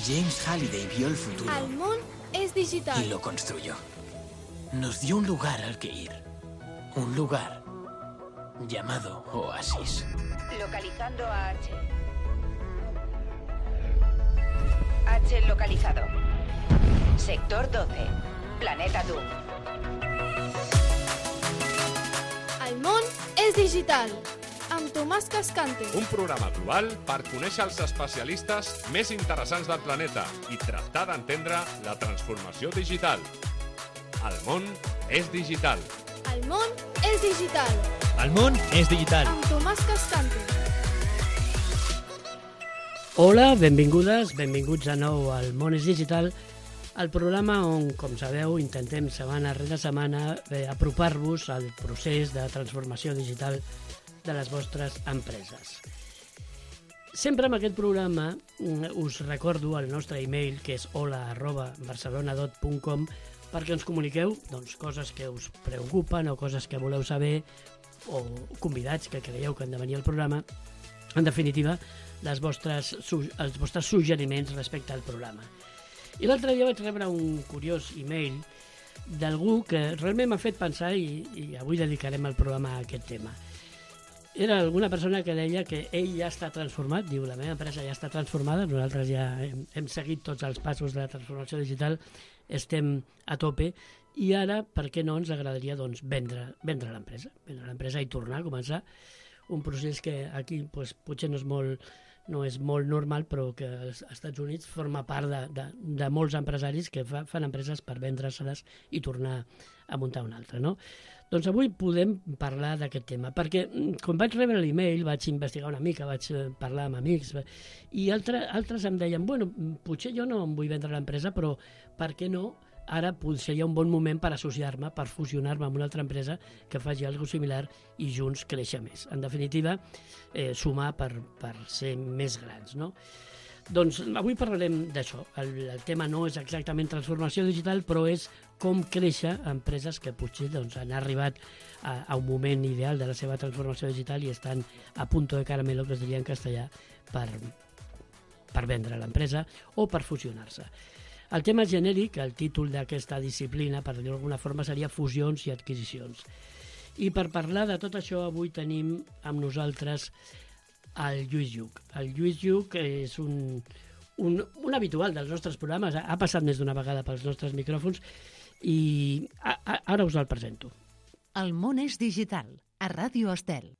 James Halliday vio el futuro. El món es digital. Y lo construyó. Nos dio un lugar al que ir. Un lugar llamado Oasis. Localizando a H. H localizado. Sector 12. Planeta Doom. El món és digital. Amb Tomàs Cascante. Un programa global per conèixer els especialistes més interessants del planeta i tractar d'entendre la transformació digital. El món és digital. El món és digital. El món és digital. Amb Tomàs Cascante. Hola, benvingudes, benvinguts de nou al Món és Digital, el programa on, com sabeu, intentem setmana rere setmana apropar-vos al procés de transformació digital de les vostres empreses. Sempre en aquest programa us recordo el nostre e-mail, que és hola@barcelonadot.com, perquè ens comuniqueu coses que us preocupen o coses que voleu saber o convidats que creieu que han de venir al programa. En definitiva, els vostres suggeriments respecte al programa. I l'altre dia vaig rebre un curiós e-mail d'algú que realment m'ha fet pensar i avui dedicarem el programa a aquest tema. Era alguna persona que deia que ell ja està transformat, diu, la meva empresa ja està transformada, nosaltres ja hem seguit tots els passos de la transformació digital, estem a tope, i ara, per què no, ens agradaria vendre l'empresa i tornar a començar un procés que aquí potser no és molt normal, però que als Estats Units forma part de molts empresaris que fan empreses per vendre-se-les i tornar a muntar una altra, no? Doncs avui podem parlar d'aquest tema, perquè quan vaig rebre l'e-mail vaig investigar una mica, vaig parlar amb amics, i altres em deien, bueno, potser jo no em vull vendre l'empresa, però per què no? Ara seria un bon moment per associar-me, per fusionar-me amb una altra empresa que faci alguna cosa similar i junts créixer més. En definitiva, sumar per ser més grans, no? Doncs avui parlarem d'això. El tema no és exactament transformació digital, però és com créixer empreses que potser han arribat a un moment ideal de la seva transformació digital i estan a punto de caramelo, que es diria en castellà, per vendre l'empresa o per fusionar-se. El tema genèric, el títol d'aquesta disciplina, per dir-ho d'alguna forma, seria fusions i adquisicions. I per parlar de tot això, avui tenim amb nosaltres el Lluís Lluch. El Lluís Lluch és un habitual dels nostres programes, ha passat més d'una vegada pels nostres micròfons i ara us el presento. El món és digital, a Ràdio Estel.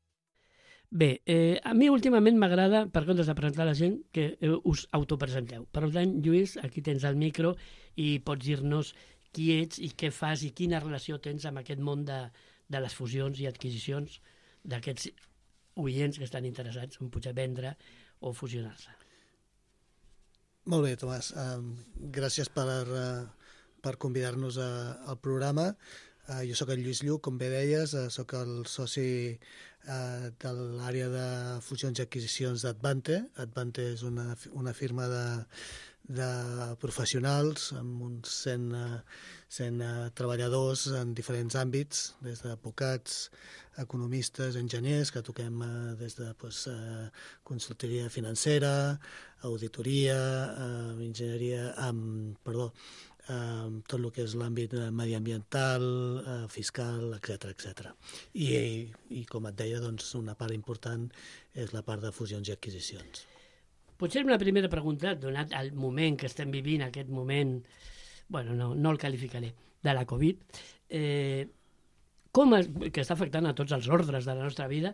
Bé, a mi últimament m'agrada, per comptes de presentar la gent, que us autopresenteu. Per tant, Lluís, aquí tens el micro i pots dir-nos qui ets i què fas i quina relació tens amb aquest món de les fusions i adquisicions d'aquests oients que estan interessats en potser vendre o fusionar-se. Molt bé, Tomàs. Gràcies per convidar-nos al programa. Jo sóc el Lluís Lluch, com bé deies, sóc el soci de l'àrea de fusions i adquisicions d'Advante. Advante és una firma de professionals amb uns 100 treballadors en diferents àmbits, des d'advocats, economistes, enginyers, que toquem des de consultoria financera, auditoria, enginyeria, tot el que és l'àmbit mediambiental, fiscal, etc. I com et deia, una part important és la part de fusions i adquisicions. Potser una primera pregunta, donat el moment que estem vivint, aquest moment, no el qualificaré, de la Covid, que està afectant a tots els ordres de la nostra vida,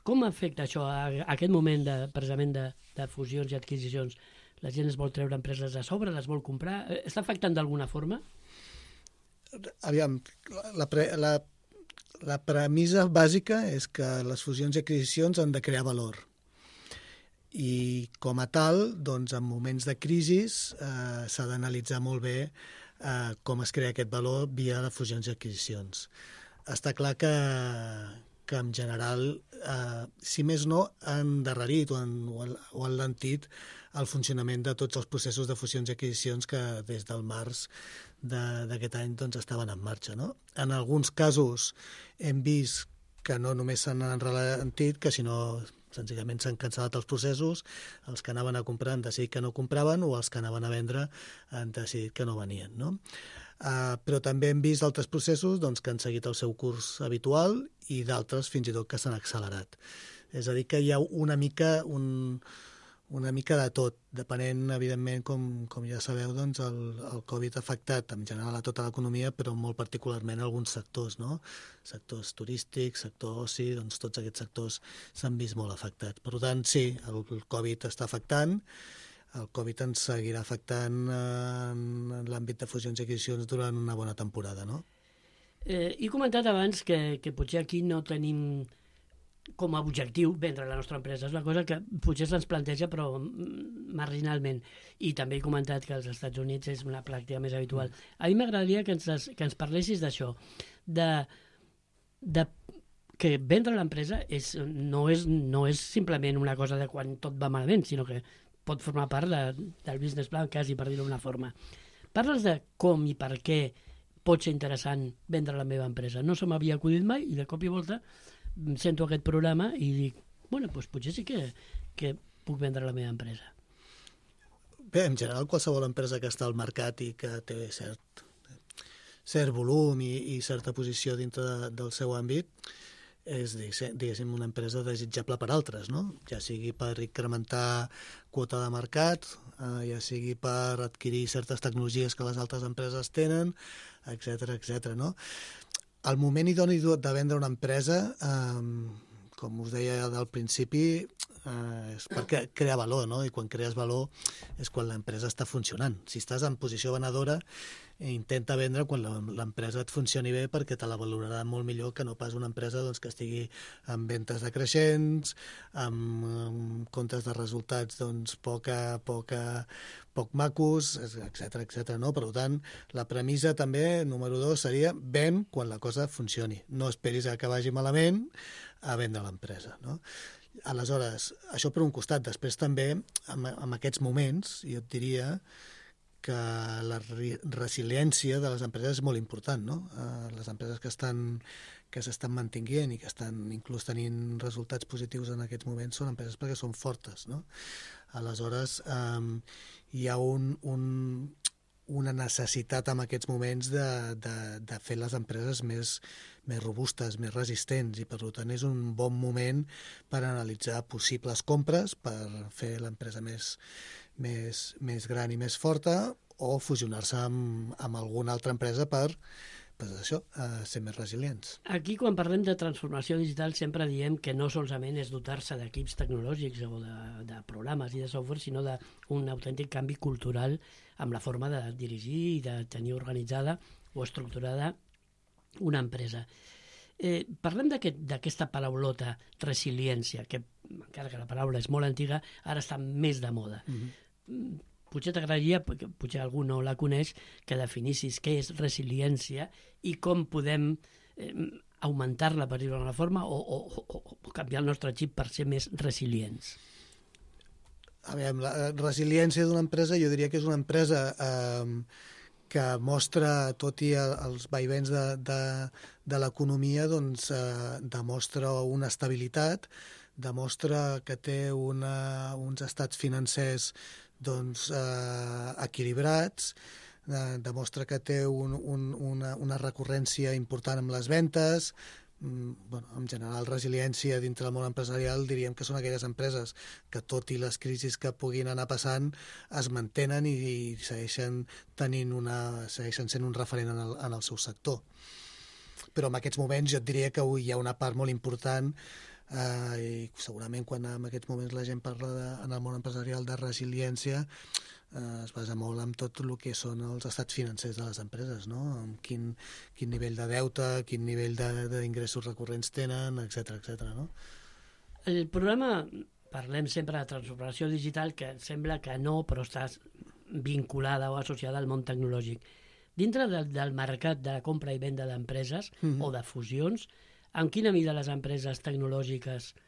com afecta això a aquest moment precisament de fusions i adquisicions? La gent es vol treure empreses a sobre, les vol comprar? Està afectant d'alguna forma? Aviam, la premissa bàsica és que les fusions i adquisicions han de crear valor. I com a tal, en moments de crisi s'ha d'analitzar molt bé com es crea aquest valor via les fusions i adquisicions. Està clar que en general, si més no, han endarrerit o han alentit el funcionament de tots els processos de fusions i adquisicions que des del març d'aquest any estaven en marxa, no? En alguns casos hem vist que no només s'han enralentit, que sinó Senzillament s'han cancel·lat els processos, els que anaven a comprar han decidit que no compraven o els que anaven a vendre han decidit que no venien, no? Però també hem vist altres processos doncs, que han seguit el seu curs habitual i d'altres fins i tot que s'han accelerat. És a dir, que hi ha una mica de tot, depenent, evidentment, com ja sabeu, doncs el Covid ha afectat en general a tota l'economia, però molt particularment a alguns sectors, no? Sectors turístics, sector oci, doncs tots aquests sectors s'han vist molt afectats. Per tant, sí, el Covid està afectant, el Covid ens seguirà afectant en l'àmbit de fusions i adquisicions durant una bona temporada, no? He comentat abans que potser aquí no tenim com a objectiu vendre la nostra empresa. És una cosa que potser se'ns planteja però marginalment. I també he comentat que als Estats Units és una pràctica més habitual. A mi m'agradaria que ens parlessis d'això, de que vendre l'empresa no és simplement una cosa de quan tot va malament, sinó que pot formar part del business plan, quasi, per dir-ho d'una forma. Parles de com i per què pot ser interessant vendre la meva empresa. No se m'havia acudit mai i de cop i volta sento aquest programa i dic, bueno, doncs potser sí que puc vendre la meva empresa. Bé, en general, qualsevol empresa que està al mercat i que té cert volum i certa posició dintre del seu àmbit és, diguéssim, una empresa desitjable per altres, no? Ja sigui per incrementar quota de mercat, ja sigui per adquirir certes tecnologies que les altres empreses tenen, etc., no? El moment idoni de vendre una empresa, com us deia al principi, és perquè crea valor, no? I quan crees valor és quan l'empresa està funcionant. Si estàs en posició venedora, intenta vendre quan l'empresa et funcioni bé perquè te la valorarà molt millor que no pas una empresa doncs, que estigui amb ventes decreixents, amb comptes de resultats doncs, poc macos, etc., no? Per tant, la premissa també, número 2, seria ven quan la cosa funcioni. No esperis que vagi malament a vendre l'empresa, no? Aleshores, això per un costat. Després també, en aquests moments, jo et diria que la resiliència de les empreses és molt important, no? Les empreses que s'estan mantenint i que estan inclús tenint resultats positius en aquests moments són empreses perquè són fortes, no? Aleshores, hi ha una necessitat en aquests moments de fer les empreses més robustes, més resistents, i per tant és un bon moment per analitzar possibles compres per fer l'empresa més gran i més forta o fusionar-se amb alguna altra empresa per ser més resilients. Aquí, quan parlem de transformació digital, sempre diem que no solament és dotar-se d'equips tecnològics o de programes i de software, sinó d'un autèntic canvi cultural amb la forma de dirigir i de tenir organitzada o estructurada una empresa. Parlem d'aquesta paraulota resiliència, que encara que la paraula és molt antiga, ara està més de moda. Potser t'agradaria, potser algú no la coneix, que definissis què és resiliència i com podem augmentar-la, per dir-ho d'una forma, o canviar el nostre xip per ser més resilients. A veure, la resiliència d'una empresa, jo diria que és una empresa que mostra, tot i els vaivens de l'economia, doncs demostra una estabilitat, demostra que té uns estats financers doncs, equilibrats, demostra que té una recurrència important amb les ventes. En general, resiliència dintre del món empresarial diríem que són aquelles empreses que, tot i les crisis que puguin anar passant, es mantenen i segueixen sent un referent en el seu sector. Però en aquests moments jo et diria que hi ha una part molt important i segurament quan en aquests moments la gent parla en el món empresarial de resiliència es basa molt en tot el que són els estats financers de les empreses, no? Amb quin nivell de deute, quin nivell d'ingressos recurrents tenen, etc., no? El programa, parlem sempre de transformació digital, que sembla que no, però està vinculada o associada al món tecnològic. Dintre del mercat de la compra i venda d'empreses o de fusions, en quina mida les empreses tecnològiques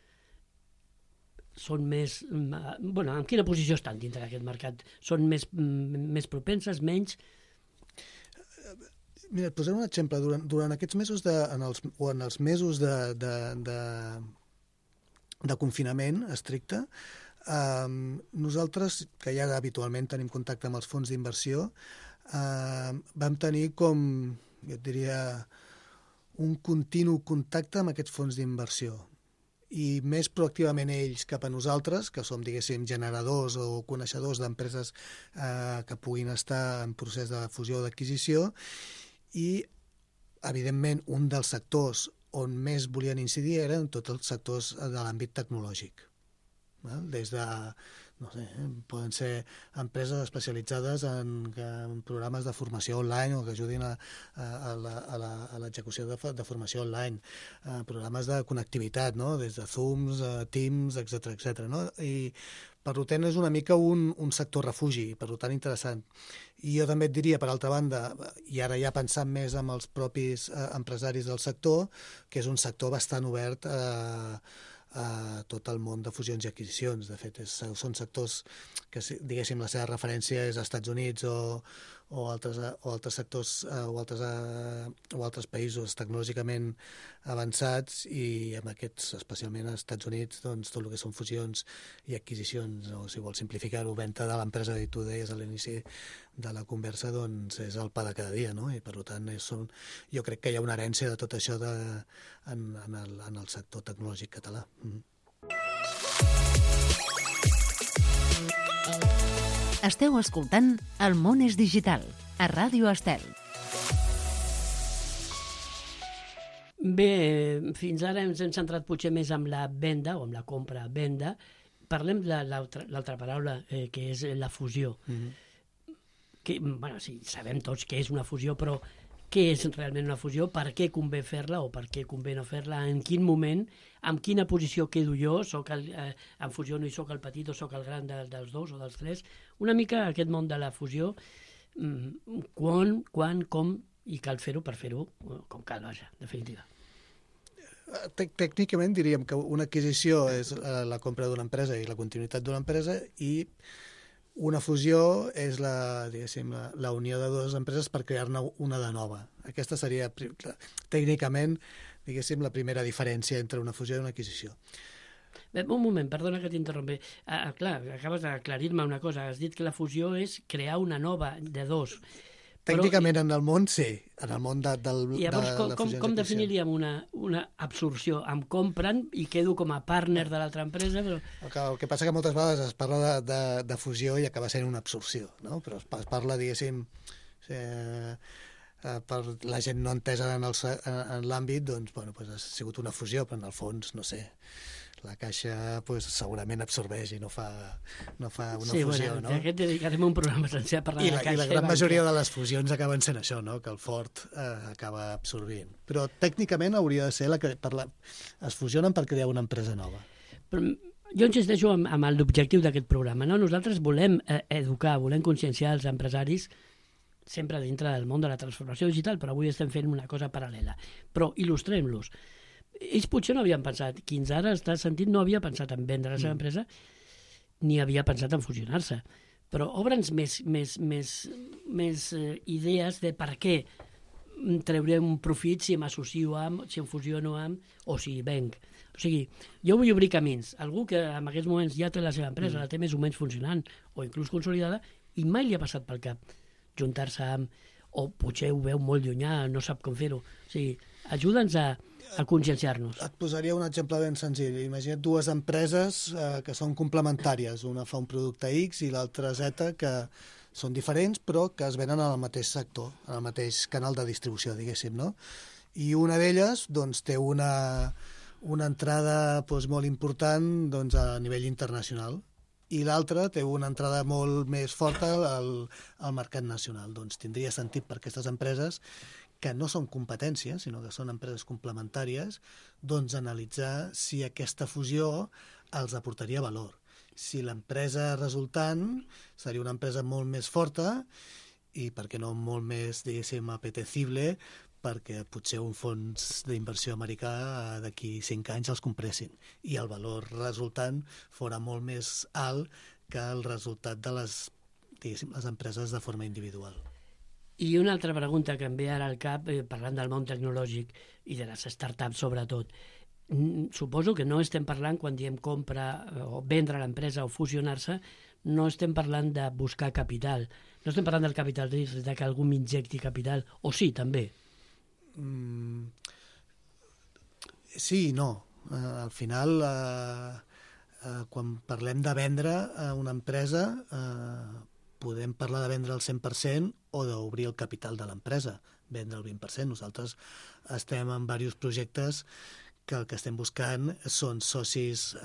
són més... en quina posició estan dintre d'aquest mercat? Són més propenses, menys? Mira, et posaré un exemple. Durant aquests mesos, en els mesos de confinament estricte. Nosaltres, que ja habitualment tenim contacte amb els fons d'inversió, vam tenir com, jo et diria, un continu contacte amb aquests fons d'inversió. I més proactivament ells cap a nosaltres, que som, diguéssim, generadors o coneixedors d'empreses que puguin estar en procés de fusió o d'adquisició, i, evidentment, un dels sectors on més volien incidir eren tots els sectors de l'àmbit tecnològic. Des de, no sé, poden ser empreses especialitzades en programes de formació online o que ajudin a l'execució de formació online, programes de connectivitat, no? Des de Zooms, Teams, etc. No? I per tant és una mica un sector refugi, per tant interessant. I jo també et diria, per altra banda, i ara ja pensant més amb els propis empresaris del sector, que és un sector bastant obert a tot el món de fusions i adquisicions. De fet, són sectors que, diguéssim, la seva referència és als Estats Units o altres sectors o altres països tecnològicament avançats, i amb aquests, especialment als Estats Units, doncs, tot el que són fusions i adquisicions, o si vols simplificar-ho, venda de l'empresa, i tu deies a l'inici de la conversa, doncs és el pa de cada dia, no? I per tant jo crec que hi ha una herència de tot això en el sector tecnològic català. Esteu escoltant El món és digital, a Ràdio Estel. Bé, fins ara ens hem centrat potser més amb la venda, o amb la compra-venda. Parlem de l'altra paraula, que és la fusió. Que, bueno, sí, sabem tots què és una fusió, però què és realment una fusió? Per què convé fer-la o per què convé no fer-la? En quin moment? En quina posició quedo jo? En fusió no hi soc el petit o soc el gran dels dos o dels tres? Una mica aquest món de la fusió, quan, com, i cal fer-ho per fer-ho com cal, vaja, definitiva. Tècnicament diríem que una adquisició és la compra d'una empresa i la continuïtat d'una empresa, i una fusió és la unió de dues empreses per crear-ne una de nova. Aquesta seria, tècnicament, diguéssim, la primera diferència entre una fusió i una adquisició. Bé, un moment, perdona que t'interrompi. Clar, acabes d'aclarir-me una cosa. Has dit que la fusió és crear una nova de dos. Tècnicament, en el món, sí. En el món de la fusió. Llavors, com definiríem una absorció? Em compren i quedo com a partner de l'altra empresa, però... El que passa que moltes vegades es parla de fusió i acaba sent una absorció, no? Però es parla, diguéssim, per la gent no entesa en l'àmbit, doncs, bueno, ha sigut una fusió, però en el fons, no sé, la Caixa segurament absorbeix i no fa una fusió, no? Aquest dedicarem un programa sencer a parlar de la Caixa. I la gran majoria de les fusions acaben sent això, no? Que el fort acaba absorbint. Però tècnicament hauria de ser es fusionen per crear una empresa nova. Però jo insisteixo amb l'objectiu d'aquest programa, no? Nosaltres volem educar, volem conscienciar els empresaris sempre dintre del món de la transformació digital, però avui estem fent una cosa paral·lela. Però il·lustrem-los. Ells potser no havien pensat, qui ens ara està sentint no havia pensat en vendre la seva empresa ni havia pensat en fusionar-se. Però obre'ns més idees de per què treuré un profit si m'associo amb, si em fusiono amb, o si venc. O sigui, jo vull obrir camins. Algú que en aquests moments ja té la seva empresa, la té més o menys funcionant, o inclús consolidada, i mai li ha passat pel cap juntar-se amb, o potser ho veu molt llunyà, no sap com fer-ho. O sigui, ajuda'ns a conscienciar-nos. Et posaria un exemple ben senzill. Imagina't dues empreses que són complementàries. Una fa un producte X i l'altra Z, que són diferents, però que es venen al mateix sector, al mateix canal de distribució, diguéssim, no? I una d'elles doncs, té una entrada molt important a nivell internacional, i l'altra té una entrada molt més forta al mercat nacional. Doncs tindria sentit per aquestes empreses, que no són competències, sinó que són empreses complementàries, doncs analitzar si aquesta fusió els aportaria valor. Si l'empresa resultant seria una empresa molt més forta i, per què no, molt més, diguéssim, apetecible, perquè potser un fons d'inversió americà d'aquí 5 anys els compressin i el valor resultant fora molt més alt que el resultat de les empreses de forma individual. I una altra pregunta que em ve ara al cap, parlant del món tecnològic i de les startups sobretot. suposo que no estem parlant, quan diem compra o vendre l'empresa o fusionar-se, no estem parlant de buscar capital, no estem parlant del capital risc, de que algú m'injecti capital, o sí, també? Sí i no. Al final, quan parlem de vendre una empresa, podem parlar de vendre el 100% o d'obrir el capital de l'empresa, vendre el 20%. Nosaltres estem en diversos projectes que el que estem buscant són socis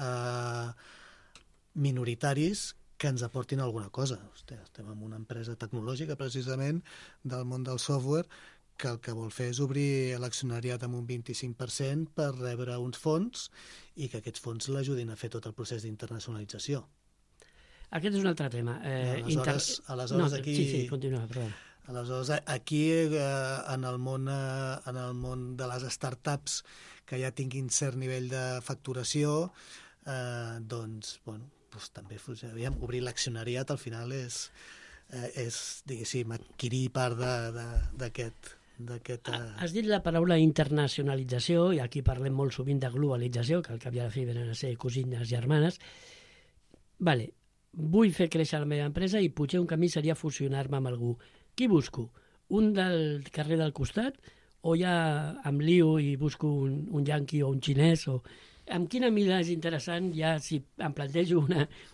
minoritaris que ens aportin alguna cosa. Estem en una empresa tecnològica, precisament, del món del software, que el que vol fer és obrir l'accionariat amb un 25% per rebre uns fons i que aquests fons l'ajudin a fer tot el procés d'internacionalització. Aquest és un altre tema. Aleshores aquí... Sí, continua, perdona. Aleshores, aquí, en el món de les startups que ja tinguin cert nivell de facturació, doncs també obrir l'accionariat al final és diguéssim, adquirir part d'aquest... Has dit la paraula internacionalització, i aquí parlem molt sovint de globalització, que al cap i a la fi venen a ser cosines germanes. Vale, vull fer créixer la meva empresa i potser un camí seria fusionar-me amb algú. Qui busco? Un del carrer del costat? O ja em lio i busco un yanqui o un xinès? Amb quina mida és interessant, ja si em plantejo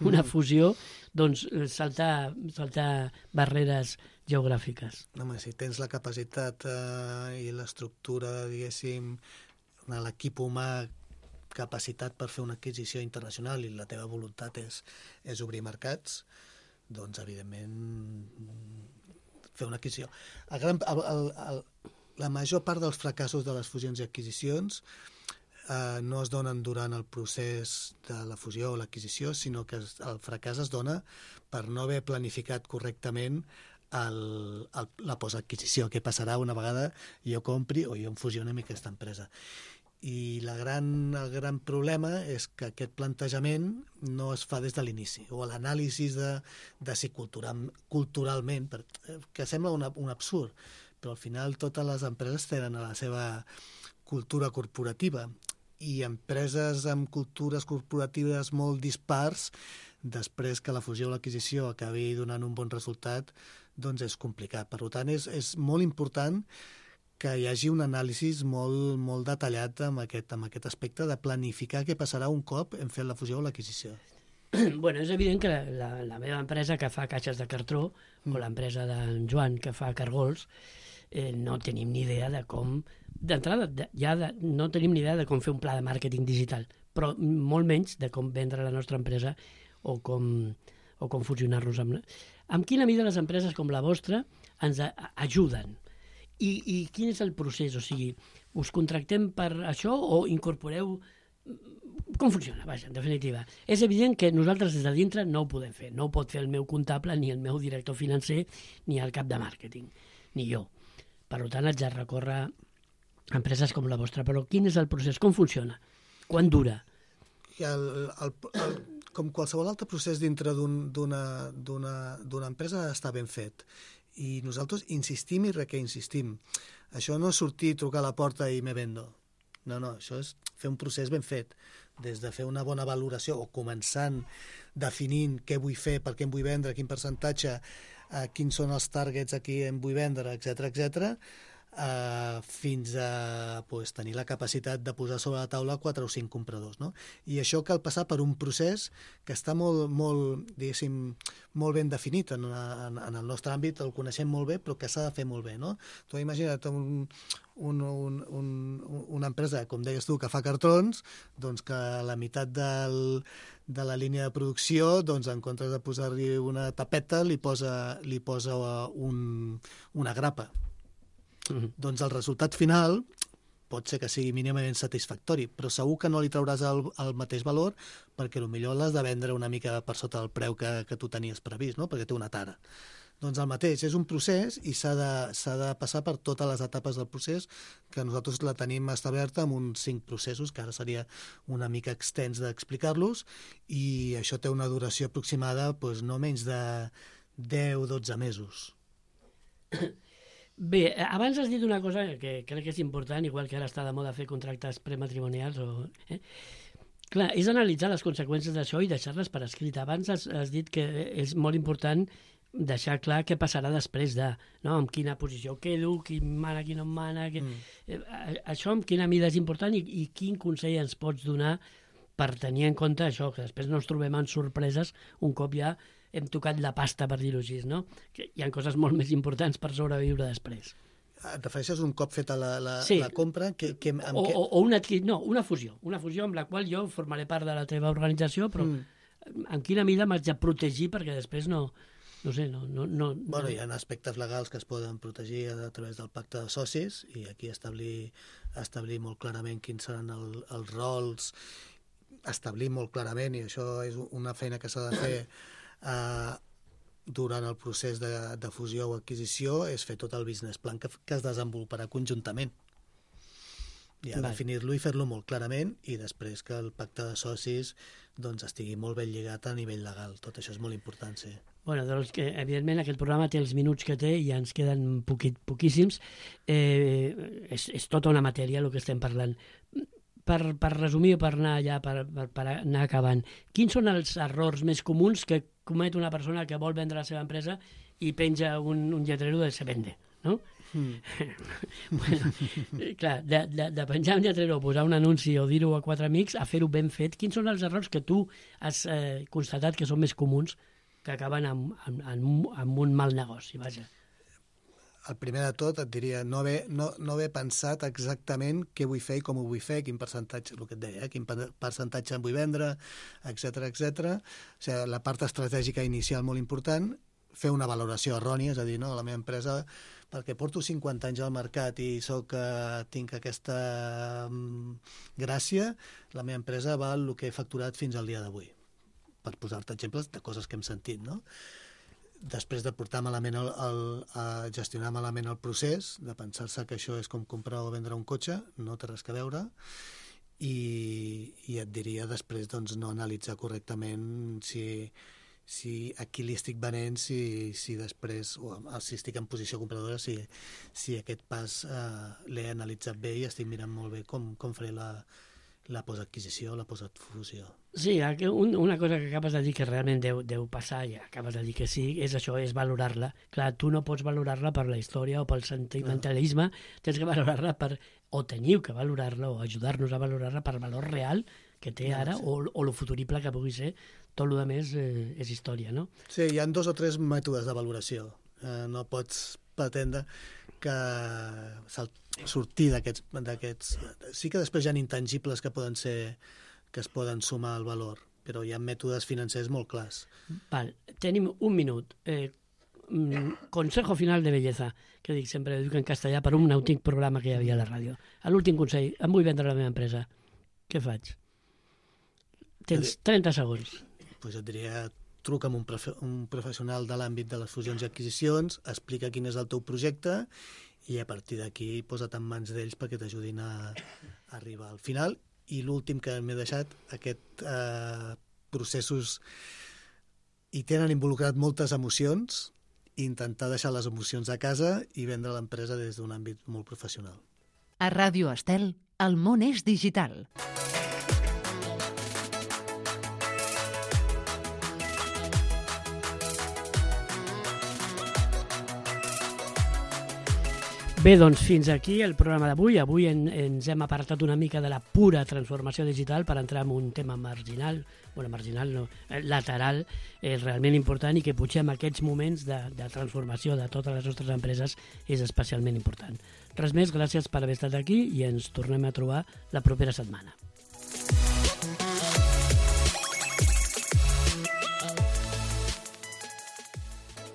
una fusió, doncs saltar barreres geogràfiques? Home, si tens la capacitat i l'estructura, diguéssim, l'equip humà capacitat per fer una adquisició internacional i la teva voluntat és obrir mercats, doncs, evidentment, fer una adquisició. La major part dels fracassos de les fusions i adquisicions no es donen durant el procés de la fusió o l'adquisició, sinó que el fracàs es dona per no haver planificat correctament la postadquisició. Què passarà una vegada jo compri o jo em fusioni amb aquesta empresa? I el gran problema és que aquest plantejament no es fa des de l'inici, o l'anàlisi de si culturalment, que sembla un absurd, però al final totes les empreses tenen la seva cultura corporativa, i empreses amb cultures corporatives molt dispars, després que la fusió o l'adquisició acabi donant un bon resultat, doncs és complicat. Per tant, és molt important que hi hagi un anàlisi molt detallat amb aquest aspecte de planificar què passarà un cop hem fet la fusió o l'adquisició. Bueno, és evident que la meva empresa que fa caixes de cartró o l'empresa d'en Joan que fa cargols no tenim ni idea de com... D'entrada, no tenim ni idea de com fer un pla de màrqueting digital, però molt menys de com vendre la nostra empresa o com fusionar-nos amb... Amb quina mida les empreses com la vostra ens ajuden? I quin és el procés? O sigui, us contractem per això o incorporeu... Com funciona? Vaja, en definitiva. És evident que nosaltres des de dintre no ho podem fer. No ho pot fer el meu comptable, ni el meu director financer, ni el cap de màrqueting, ni jo. Per tant, haig de recórrer a empreses com la vostra. Però quin és el procés? Com funciona? Quant dura? Com qualsevol altre procés dintre d'una empresa està ben fet. I nosaltres insistim i reinsistim. Això no és sortir, trucar a la porta i me vendo. No, això és fer un procés ben fet. Des de fer una bona valoració o començant definint què vull fer, per què em vull vendre, quin percentatge, quins són els targets a qui em vull vendre, etc., fins a tenir la capacitat de posar sobre la taula 4 o 5 compradors. No? I això cal passar per un procés que està molt ben definit en el nostre àmbit, el coneixem molt bé, però que s'ha de fer molt bé. No? Tu imagina't una empresa, com deies tu, que fa cartrons, doncs que a la meitat de la línia de producció, doncs en comptes de posar-li una tapeta, li posa una grapa. Doncs el resultat final pot ser que sigui mínimament satisfactori, però segur que no li trauràs el mateix valor perquè potser l'has de vendre una mica per sota del preu que tu tenies previst, no? Perquè té una tara. Doncs el mateix, és un procés i s'ha de passar per totes les etapes del procés, que nosaltres la tenim establerta amb uns 5 processos, que ara seria una mica extens d'explicar-los, i això té una duració aproximada no menys de 10-12 mesos. Bé, abans has dit una cosa que crec que és important, igual que ara està de moda fer contractes prematrimonials. Clar, és analitzar les conseqüències d'això i deixar-les per escrit. Abans has dit que és molt important deixar clar què passarà després de, no? En quina posició quedo, qui mana, qui no em mana... Això en quina mida és important i quin consell ens pots donar per tenir en compte això, que després no ens trobem en sorpreses un cop ja hem tocat la pasta, per dir-ho així, no? Que hi ha coses molt més importants per sobreviure després. Et refereixes un cop feta la compra? O una fusió amb la qual jo formaré part de la teva organització, però en quina mida m'haig de protegir perquè després no sé, Bueno, hi ha aspectes legals que es poden protegir a través del pacte de socis i aquí establir molt clarament quins seran els rols, establir molt clarament, i això és una feina que s'ha de fer durant el procés de fusió o adquisició, és fer tot el business plan que es desenvoluparà conjuntament. I definir-lo i fer-lo molt clarament i després que el pacte de socis doncs, estigui molt ben lligat a nivell legal. Tot això és molt important, sí. Bueno, doncs que, evidentment, aquest programa té els minuts que té i ja ens queden poquíssims. És tota una matèria el que estem parlant. Per resumir o per anar allà, per anar acabant, quins són els errors més comuns que comet una persona que vol vendre la seva empresa i penja un lletrero de se vende, no? Bueno, clar, de penjar un lletrero o posar un anunci o dir-ho a 4 amics a fer-ho ben fet, quins són els errors que tu has constatat que són més comuns que acaben amb un mal negoci, vaja? El primer de tot et diria no haver pensat exactament què vull fer i com ho vull fer, quin percentatge, el que et deia, quin percentatge em vull vendre, etc. O sigui, la part estratègica inicial molt important, fer una valoració errònia, és a dir, no, la meva empresa, perquè porto 50 anys al mercat i tinc aquesta gràcia, la meva empresa val el que he facturat fins al dia d'avui. Per posar-te exemples de coses que hem sentit, no? Després de portar malament a gestionar malament el procés, de pensar-se que això és com comprar o vendre un cotxe, no té res a veure, i et diria després doncs, no analitzar correctament si a qui li estic venent, si després, o si estic en posició compradora, si aquest pas l'he analitzat bé i estic mirant molt bé com faré la postadquisició, la postadfusió. Sí, una cosa que acabes de dir que realment deu passar, i acabes de dir que sí, és això, és valorar-la. Clar, tu no pots valorar-la per la història o pel sentimentalisme, tens que valorarla o teniu que valorar-la o ajudar-nos a valorar-la per valor real que té ara o lo futurible que pugui ser. Tot el que més és història, no? Sí, hi ha 2 o 3 mètodes de valoració. No pots pretendre que sortir d'aquests... Sí que després hi ha intangibles que es poden sumar al valor, però hi ha mètodes financers molt clars. Val, tenim un minut. Consejo final de belleza, que dic sempre, dic en castellà, per un antic programa que hi havia a la ràdio. L'últim consell, em vull vendre la meva empresa. Què faig? Tens 30 segons. Pues et diria, truca amb un professional de l'àmbit de les fusions i adquisicions, explica quin és el teu projecte i a partir d'aquí posa't en mans d'ells perquè t'ajudin a arribar al final. I l'últim que m'he deixat, aquests processos hi tenen involucrat moltes emocions, intentar deixar les emocions a casa i vendre l'empresa des d'un àmbit molt professional. A Ràdio Estel, el món és digital. Bé, doncs fins aquí el programa d'avui. Avui ens hem apartat una mica de la pura transformació digital per entrar en un tema marginal, lateral, realment important i que potser en aquests moments de transformació de totes les nostres empreses és especialment important. Res més, gràcies per haver estat aquí i ens tornem a trobar la propera setmana.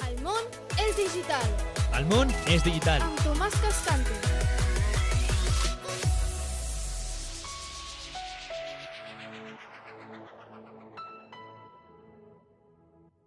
El món és digital. El món és digital. Amb Tomàs Cascante.